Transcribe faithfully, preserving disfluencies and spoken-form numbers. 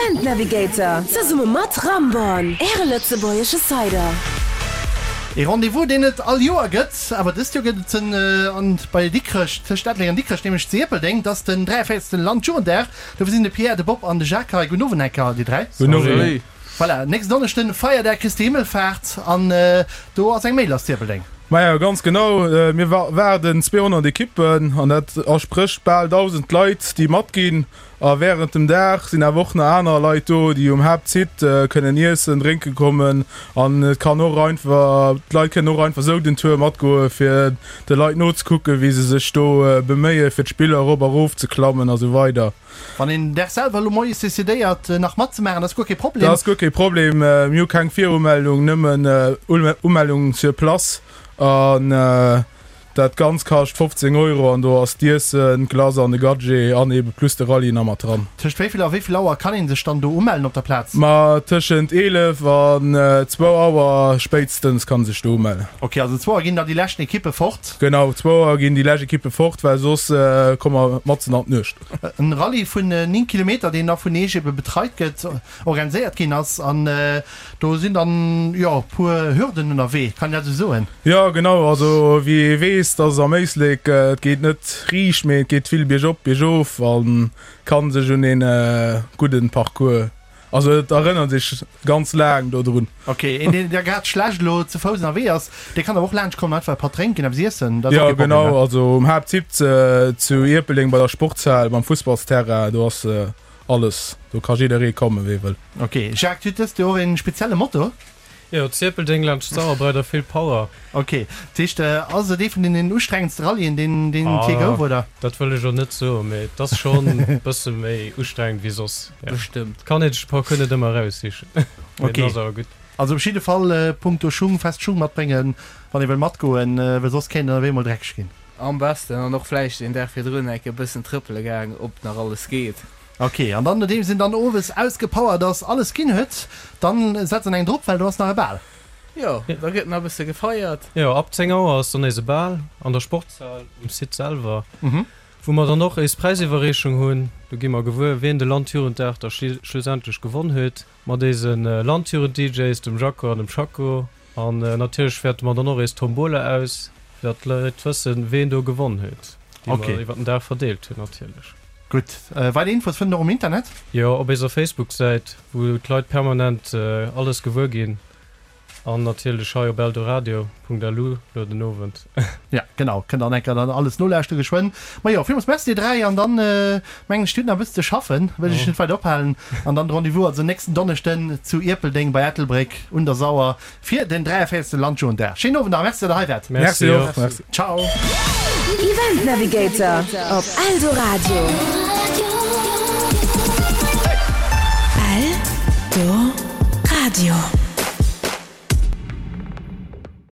Event Navigator, zesumme mat Ramborn, Äre lëtzebuergesche Cider. Ee Rendez-vous, deen et all Joer gëtt, awer dëst Joer gëtt et en an bei Dikrech, tëscht Ettelbréck an Dikrech, nämlech zu Ierpeldeng. Dat ass den dräiavéierzegsten Landjugenddag. Dofir sinn de Pierre, de Bob an de Jacques hei. Gudden Owend enker, dir dräi. Gudden Owend. Voilà, nächsten Donneschden Feierdag Christi Himmelfaart an do ass eng Méi lass zu Ierpeldeng. Maja, ganz genau. Mir waarden zweehonnert Ekippen an dat ersprécht bal dausend Leit, déi matginn. A wärend dem Dag sinn awer och nach aner Leit do, déi um Haaptsite kënnen iessen, drénke kommen. An et kann och einfach, d'Leit kënnen och einfach sou den Tour matgoe fir de Leit nozekucken, wéi se sech do beméie fir d'Spiller erop a rof ze klammen a sou weider. Wann een den Dag selwer elo moies decidéiert nach matzemaachen, dat ass guer kee Problem? Dat ass guer kee Problem. Mir hu keng Virumeldung, nëmmen Umellung sur place. An dat Ganzt kascht fofzéng Euro an do ass d'Iessen, d'Glace an de Gadget an ebe plus de Rallye nach mat dran. Tëscht wéi vill a wéi vill Auer kann ee sech dann do umellen op der Plaz? Ma tëschent eelef an zwou Auer spéitstens kann ee sech do umellen. Ok, also zwou Auer ginn da déi leschten Ekippe fort? Genau, zwou Auer ginn déi lescht Ekippe fort, well soss komme mer matzen an d'Nuecht. En Rallye vun néng Kilometer, deen da vun Eech ebe betreit gëtt, organiséiert ginn ass an do sinn dann, jo, e puer Hürden ënnerwee, kann een dat esou soen? Jo, genau. Also wéi ee weess, dass am Éislek, et geet net riicht, mee et geet vill biergop, biergof a kann sech un ee gudden Parcours, also et erënnert sech ganz laang dodrun. Ok, een deen da grad schlecht elo ze Fouss ënnerwee ass, dee kann awer och laanscht kommen, einfach e Patt drénken, eppes iessen, dat ass och kee Problem, ne? Jo, genau, also um Haaptsite zu Ierpeldeng bei der Sportshal, beim Fussballsterrain, do ass Alles, do ka jidderee kommen, wee wëll. Ok, Jacques, du huet dëst Joer een spezielle Motto? Jo, Zierpeldeng laanscht d'Sauer breit a vill Power. Ok, dat heescht, ass et ee vun den ustrengendste Rallyen, deen deen et je gouf, oder? Dat wëll ech elo net soen, mee et ass schonn e bësse méi ustrengend wéi soss, jo. Bestëmmt. Kann een sech de Parcours net ëmmer eraussichen, mee en ass awer gutt. Also op jidde Fall punkto Schung, fest Schung matbréngen, wann ee wëll matgoen, well soss kéint et ewéi emol dreckeg ginn. Am besten an och vläicht een Dag virdrun enke bëssen trëppele gaang, ob nach alles geet. Ok, an dann nodeems een dann owes ausgepowert ass, alles ginn huet, dann setzt en eng drop, well do ass nach e Bal. Jo, da gëtt nach e bësse gefeiert. Jo, ab zéng Auer ass dann nees e Bal an der Sportshal um Site selwer, wou mer dann och éis Präisiwwerreechung hunn. Do gi mer gewuer, wien de Landjugenddag da schlussendlech gewonn huet, mat éise Landjugend-DJs, dem Jaco an dem Chaco. An natierlech wäerte mer dann och éis Tombola aus, fir datt d'Leit wëssen, ween do gewonn huet, déi mer iwwer den Dag verdeelt hunn natierlech. Gutt, weider Infos fënnt een och um Internet? Jo, op eiser Facebook-Säit, wou d'Leit permanent alles gewuer ginn. An natierlech hei op eldoradio punkt lu lo den Owend. Ja, genau, kënnt dann enker dann alles nolauschteren geschwënn. Majo, villmools Merci dir dräi an dann mengen ech, dir hutt nach e bëssen ze schaffen, wëll ech iech net weider ophalen. An dann de Rendez-vous also nächsten Donneschden zu Ierpeldeng bei Ettelbréck un der Sauer fir den dräiavéierzegste Landjugenddag. Schéinen Owend nach a Merci, datt der hei waart. Merci och. Merci. Ciao. Event Navigator op Eldoradio.